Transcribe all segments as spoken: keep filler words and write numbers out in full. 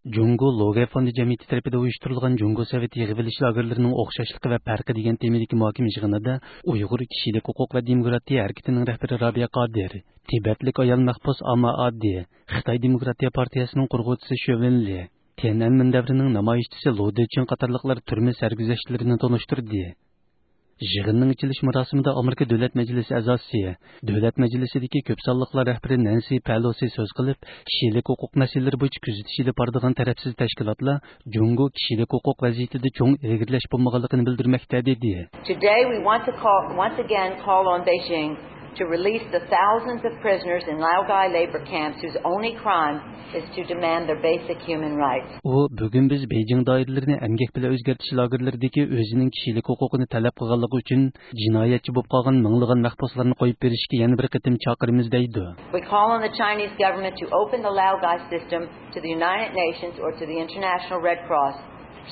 جۇڭگو لوگەي فوندى جەمئىيىتى تەرىپىدىن ئۇيۇشتۇرۇلغان جۇڭگو سوۋېت يىغىۋېلىش لاگېرلىرىنىڭ ئوخشاشلىقى ۋە پەرقى دېگەن تېمىدىكى مۇھاكىمە يىغىنىدا ئۇيغۇر كىشىلىك ھوقۇق ۋە دېموكراتىيە ھەرىكىتىنىڭ رەھبىرى رابىيە قادىر، تىبەتلىك ئايال مەھبۇس ئاما ئادى، خىتاي دېموكراتىيە پارتىيەسىنىڭ قۇرغۇچىسى شۆۋېن لى، تيەنئەنمېن دەۋرىنىڭ نامايىشچىسى لو دېچىڭ قاتارلىقلار تۈرمە سەرگۈزەشتلىرىنى تونۇشتۇردى. يىغىننىڭ ئېچىلىش مۇراسىمىدا ئامېرىكا دۆلەت مەجلىسى ئەزاسى، دۆلەت مەجلىسىدىكى كۆپ سانلىقلار رەھبىرى نەنسى پەلوسى سۆز قىلىپ، كىشىلىك ھوقۇق مەسىلىلىرى بويىچە كۆزىتىش ئېلىپ بارىدىغان تەرەپسىز تەشكىلاتلار جۇڭگو كىشىلىك ھوقۇق ۋەزىيىتىدە چوڭ ئىلگىرىلەش بولمىغانلىقىنى بىلدۈرمەكتە، دېدى. Today we want to call, once again call on Beijing to release the thousands of prisoners in Laogai labor camps whose only crime is to demand their basic human rights. ئۇ، بۈگۈن بىز بېيجىڭ دائىرىلىرىنى ئەمگەك بىلەن ئۆزگەرتىش لاگېرلىرىدىكى ئۆزىنىڭ كىشىلىك ھوقۇقىنى تەلەپ قىلغانلىقى ئۈچۈن جىنايەتچى بولۇپ قالغان مىڭلىغان مەھبۇسلارنى قويۇپ بېرىشكە يەنە بىر قېتىم چاقىرىمىز، دەيدۇ. We call on the Chinese government to open the Laogai system to the United Nations or to the International Red Cross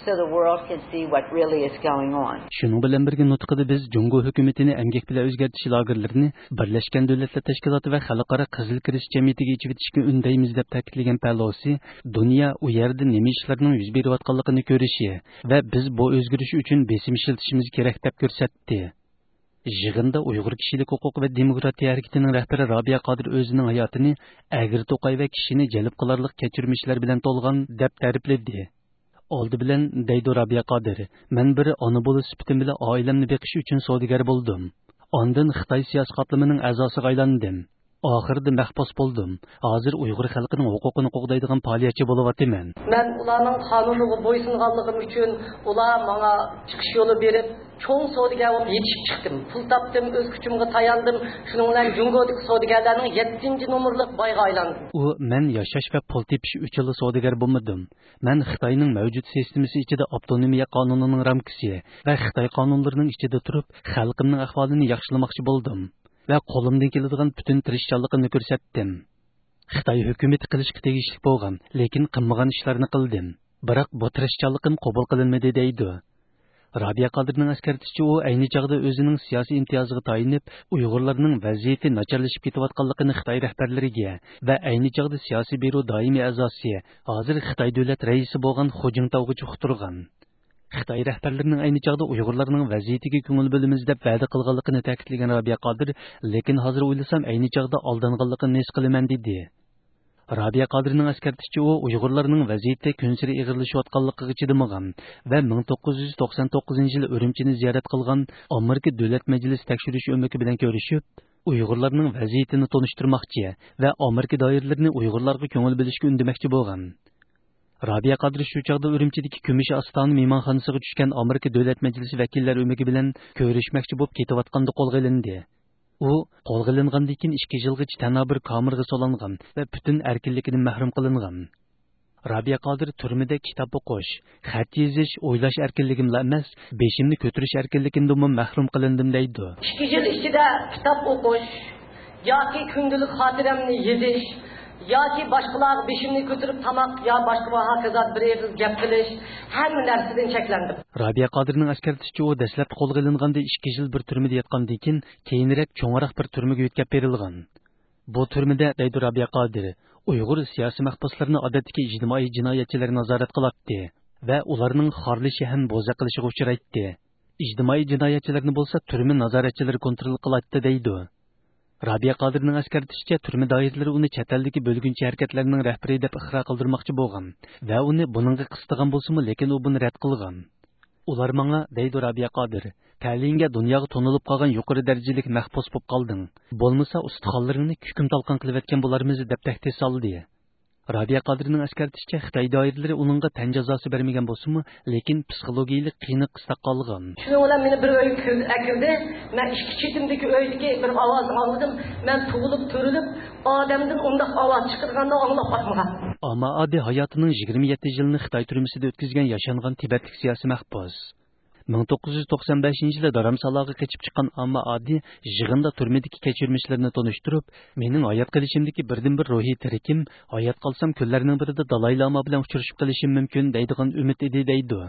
so the world can see what really is going on. شۇنىڭ بىلەن بىرگە نۇتقىدا بىز جۇڭگو ھۆكۈمىتىنى ئەمگەك بىلەن ئۆزگەرتىش لاگېرلىرىنى بىرلەشكەن دۆلەتلەر تەشكىلاتى ۋە خەلقئارا قىزىل كىرېست جەمئىيىتىگە ئېچىۋېتىشكە ئۈندەيمىز، دەپ تەكىتلىگەن پەلوسى، دۇنيا ئۇ يەردە نېمە ئىشلارنىڭ يۈز بېرىۋاتقانلىقىنى كۆرۈشى ۋە بىز بۇ ئۆزگىرىش ئۈچۈن بېسىم ئىشلىتىشىمىز كېرەك، دەپ كۆرسەتتى. يىغىندا ئۇيغۇر كىشىلىك ھوقۇق ۋە دېموكراتىيە ھەرىكىتىنىڭ رەھبىرى رابىيە قادىر ئۆزىنىڭ ھاياتىنى ئەگرى-توقاي ۋە كىشىنى جەلپ قىلارلىق كەچۈرمىشلەر بىلەن تولغان، دەپ تەرىپلىدى. ئالدى بىلەن، دەيدۇ رابىيە قادىر، مەن بىر ئانا بولۇش سۈپىتىم بىلەن ئائىلەمنى بېقىش ئۈچۈن سودىگەر بولدۇم. ئاندىن خىتاي سىياسىي قاتلىمىنىڭ ئەزاسىغا ئايلاندىم. ئاخىرىدا مەھبۇس بولدۇم. ھازىر ئۇيغۇر خەلقىنىڭ ھوقۇقىنى قوغدايدىغان پائالىيەتچى بولۇۋاتىمەن. مەن ئۇلارنىڭ قانۇنىغا بويسۇنغانلىقىم ئۈچۈن ئۇلار ماڭا چىقىش يولى بېرىپ، چوڭ سودىگەر بولۇپ يېتىشىپ چىقتىم. پۇل تاپتىم، ئۆز كۈچۈمگە تاياندىم. شۇنىڭ بىلەن جۇڭگودىكى سودىگەرلەرنىڭ يەتتىنچى نومۇرلۇق بايىغا ئايلاندىم. ئۇ، مەن ياشاش ۋە پۇل تېپىش ئۈچۈنلا سودىگەر بولمىدىم. مەن خىتاينىڭ مەۋجۇت سىستېمىسى ئىچىدە ئاپتونومىيە قانۇنىنىڭ رامكىسى ۋە خىتاي قانۇنلىرىنىڭ ئىچىدە تۇرۇپ، خەلقىمنىڭ ئەھۋالىنى ياخشىلىماقچى بولدۇم ۋە قولۇمدىن كېلىدىغان پۈتۈن تىرىشچانلىقىمنى كۆرسەتتىم. خىتاي ھۆكۈمىتى قىلىشقا تېگىشلىك بولغان، لېكىن قىلمىغان ئىشلارنى قىلدىم. بىراق بۇ تىرىشچانلىقىم قوبۇل قىلىنمىدى، دەيدۇ. رابىيە قادىرنىڭ ئەسكەرتىشىچە، ئۇ ئەينى چاغدا ئۆزىنىڭ سىياسىي ئىمتىيازىغا تايىنىپ، ئۇيغۇرلارنىڭ ۋەزىيىتى ناچارلىشىپ كېتىۋاتقانلىقىنى خىتاي رەھبەرلىرىگە ۋە ئەينى چاغدا سىياسىي بيۇرو دائىمىي ئەزاسى، ھازىر خىتاي دۆلەت رەئىسى بولغان خۇ جىنتاۋغا ئۇقتۇرغان. خىتاي رەھبەرلىرىنىڭ ئەينى چاغدا ئۇيغۇرلارنىڭ ۋەزىيىتىگە كۆڭۈل بۆلىمىز دەپ ۋەدە قىلغانلىقىنى تەكىتلىگەن رابىيە قادىر، لېكىن ھازىر ئويلىسام، ئەينى چاغدا ئالدانغانلىقىنى ھېس قىلىمەن، دېدى. رابىيە قادىرنىڭ ئەسكەرتىشىچە، ئۇ ئۇيغۇرلارنىڭ ۋەزىيىتى كۈنسېرى ئېغىرلىشىۋاتقانلىقىغا چىدىمىغان ۋە مىڭ توققۇز يۈز توقسان توققۇزىنچى يىلى ئۈرۈمچىنى زىيارەت قىلغان ئامېرىكا دۆلەت مەجلىسى تەكشۈرۈش ئۆمىكى بىلەن كۆرۈشۈپ، ئۇيغۇرلارنىڭ ۋەزىيىتىنى تونۇشتۇرماقچى ۋە ئامېرىكا دائىرىلىرىنى ئۇيغۇرلارغا كۆڭۈل بۆلۈشكە ئۈندىمەكچى بولغان. رابىيە قادىر شۇ چاغدا ئۈرۈمچىدىكى كۈمۈش ئاستانە مېھمانخانىسىغا چۈشكەن ئامېرىكا دۆلەت مەجلىسى ۋەكىللەر ئۆمىكى بىلەن كۆرۈشمەكچى بولۇپ كېتىۋاتقاندا قولغا ئېلىندى. ئۇ قولغا ئېلىنغاندىن كېيىن ئىككى يىلغىچە تەنھا بىر كامېرغا سولانغان ۋە پۈتۈن ئەركىنلىكىدىن مەھرۇم قىلىنغان. رابىيە قادىر تۈرمىدە كىتاب ئوقۇش، خەت يېزىش، ئويلاش ئەركىنلىكىملا ئەمەس، بېشىمنى كۆتۈرۈش ئەركىنلىكىمدىنمۇ مەھرۇم قىلىندىم، دەيدۇ. ئىككى يىل ئىچىدە كىتاب ئوقۇش ياكى كۈندىلىك خاتىرەمنى يېزىش ياكى باشقىلارغا بېشىمنى كۆتۈرۈپ تاماق يا باشقا ۋە ھاكازا بىر ئېغىز گەپ قىلىش، ھەممە نەرسىدىن چەكلەندىم. رابىيە قادىرنىڭ ئەسكەرتىشىچە، ئۇ دەسلەپتە قولغا ئېلىنغاندا ئىككى يىل بىر تۈرمىدە ياتقاندىن كېيىن، كېيىنرەك چوڭراق بىر تۈرمىگە يۆتكەپ بېرىلغان. بۇ تۈرمىدە، دەيدۇ رابىيە قادىر، ئۇيغۇر سىياسىي مەھبۇسلىرىنى ئادەتتىكى ئىجتىمائىي جىنايەتچىلەر نازارەت قىلاتتى ۋە ئۇلارنىڭ خارلىشى ھەم بوزەك قىلىشىغا ئۇچرايتتى. ئىجتىمائىي جىنايەتچىلەرنى بولسا تۈرمە نازارەتچىلىرى كونترول قىلاتتى، دەيدۇ. رابىيە قادىرنىڭ ئەسكەرتىشىچە، تۈرمە دائىرىلىرى ئۇنى چەت ئەلدىكى بۆلگۈنچى ھەرىكەتلەرنىڭ رەھبىرى دەپ ئىقرار قىلدۇرماقچى بولغان ۋە ئۇنى بۇنىڭغا قىستىغان بولسىمۇ، لېكىن ئۇ بۇنى رەت قىلغان. ئۇلار ماڭا، دەيدۇ رابىيە قادىر، تەلىيىڭگە دۇنياغا تونۇلۇپ قالغان يۇقىرى دەرىجىلىك مەھبۇس بولۇپ قالدىڭ. بولمىسا ئۇستىخانلىرىڭنى كۈكۈم تالقان قىلىۋەتكەن بولارمىز، دەپ تەھدىت سالدى. رابىيە قادىرنىڭ ئەسكەرتىشىچە، خىتاي دائىرىلىرى ئۇنىڭغا تەن جازاسى بەرمىگەن بولسىمۇ، لېكىن پسىخولوگىيەلىك قىينىق قىستاق قالغان. شۇنىڭ بىلەن مېنى بىر ئۆيگە كىر-، ئەكىردى. مەن ئىككى چېتىمدىكى ئۆيدىكى بىر ئاۋازنى ئاڭلىدىم. مەن تۇغۇلۇپ تۇرۇلۇپ، ئادەمدىن ئۇنداق ئاۋاز چىقىدىغاننى ئاڭلاپ باقمىغان. ئاما ئادى ھاياتىنىڭ يىگىرمە يەتتە يىلىنى خىتاي تۈرمىسىدە ئۆتكۈزگەن ياشانغان تىبەتلىك سىياسىي مەھبۇس. مىڭ توققۇز يۈز توقسان بەشىنچى يىلى دارامسالاغا قېچىپ چىققان ئاما ئادى يىغىندا تۈرمىدىكى كەچۈرمىشلىرىنى تونۇشتۇرۇپ، مېنىڭ ھايات قېلىشىمدىكى بىردىنبىر روھىي تىرىكىم، ھايات قالسام كۈنلەرنىڭ بىرىدە دالاي لاما بىلەن ئۇچرىشىپ قېلىشىم مۇمكىن دەيدىغان ئۈمىد ئىدى، دەيدۇ.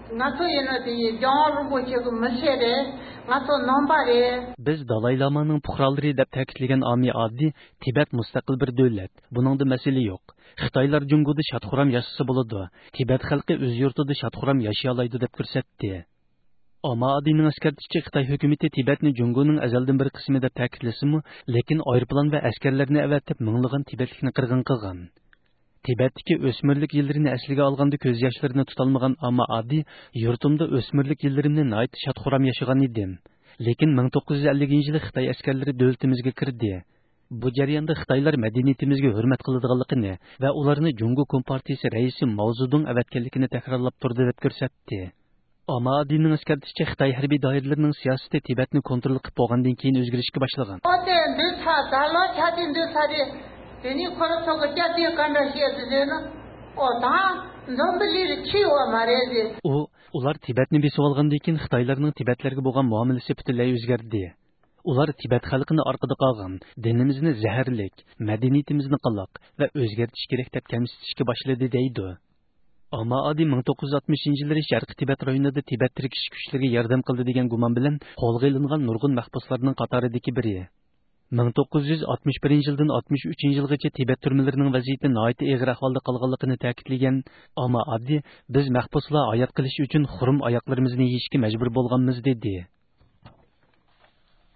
ང་ཚོ་ཡིན་ན་དེ་ཡི་རྒྱལ་བ་རིན་པོ་ཆེ་གི་མི་ཚེ་རེད། ང་ཚོ་ནང་པ་རེད། بىز دالاي لامانىڭ پۇقرالىرى دەپ تەكىتلىگەن ئامى ئاددى، تىبەت مۇستەقىل بىر دۆلەت، بۇنىڭدا مەسىلە يوق. خىتايلار جۇڭگودا شاد-خۇرام ياشىسا بولىدۇ، تىبەت خەلقى ئۆز يۇرتىدا شاد-خۇرام ياشىيالايدۇ دەپ كۆرسەتتى. ئامى ئاددىنىڭ ئەسكەرتىشىچە، خىتاي ھۆكۈمىتى تىبەتنى جۇڭگونىڭ ئەزەلدىن بىر قىسمى دەپ تەكىتلىسىمۇ، لېكىن ئايروپىلان ۋە ئەسكەرلەرنى ئەۋەتىپ مىڭلىغان تىبەتلىكنى قىرغىن قىلغان. تىبەتتىكى ئۆسمۈرلۈك يىللىرىنى ئەسلىگە ئالغاندا كۆز ياشلىرىنى تۇتالمىغان ئامى ئاددى، يۇرتۇمدا ئۆسمۈرلۈك يىللىرىمنى ناھايىتى شاد-خۇرام ياشىغان ئىدىم. لېكىن مىڭ توققۇز يۈز ئەللىكىنچى يىلى خىتاي ئەسكەرلىرى دۆلىتىمىزگە كىردى. بۇ جەرياندا خىتايلار مەدەنىيىتىمىزگە ھۆرمەت قىلىدىغانلىقىنى ۋە ئۇلارنى جۇڭگو كومپارتىيىسى رەئىسى ماۋزېدۇڭ ئەۋەتكەنلىكىنى تەكرارلاپ تۇردى دەپ كۆرسەتتى. ئامى ئاددىنىڭ ئەسكەرتىشىچە، خىتاي ھەربىي دائىرىلىرىنىڭ سىياسىتى تىبەتنى كونترول قىلىپ بولغاندىن كېيىن ئۆزگىرىشكە باشلىغان. ཨོ་དེ་འདི་ཚ་ད་ལོ་ཆ་དེ་འདི་ཚ་དེ་དེ་ནི་ཁོ་ར་ཚོ་གི་སྐྱ་དེ་ག་འདྲ་བཤད་དེ་ཟེར་ན། ཨོ་ད་འཛོམས་པ་ལི་རི་ཁྱི་བ་མ་རེད་ཟེར། ئۇ، ئۇلار تىبەتنى بېسىۋالغاندىن كېيىن خىتايلارنىڭ تىبەتلەرگە بولغان مۇئامىلىسى پۈتۈنلەي ئۆزگەردى. ئۇلار تىبەت خەلقىنى ئارقىدا قالغان، دىنىمىزنى زەھەرلىك، مەدەنىيىتىمىزنى قالاق ۋە ئۆزگەرتىش كېرەك دەپ كەمسىتىشكە باشلىدى دەيدۇ. ئامى ئاددى مىڭ توققۇز يۈز ئاتمىشىنچى يىللىرى شەرقىي تىبەت رايونىدا تىبەت تىركىشىش كۈچلىرىگە ياردەم قىلدى دېگەن گۇمان بىلەن قولغا ئېلىنغان نۇرغۇن مەھبۇسلارنىڭ قاتارىدىكى بىرى. مىڭ توققۇز يۈز ئاتمىش بىرىنچى يىلدىن ئاتمىش ئۈچىنچى يىلغىچە تىبەت تۈرمىلىرىنىڭ ۋەزىيىتى ناھايىتى ئېغىر ئەھۋالدا قالغانلىقىنى تەكىتلىگەن ئامى ئاددى، بىز مەھبۇسلار ھايات قېلىش ئۈچۈن خۇرۇم ئاياقلىرىمىزنى يېيىشكە مەجبۇر بولغانمىز، دېدى.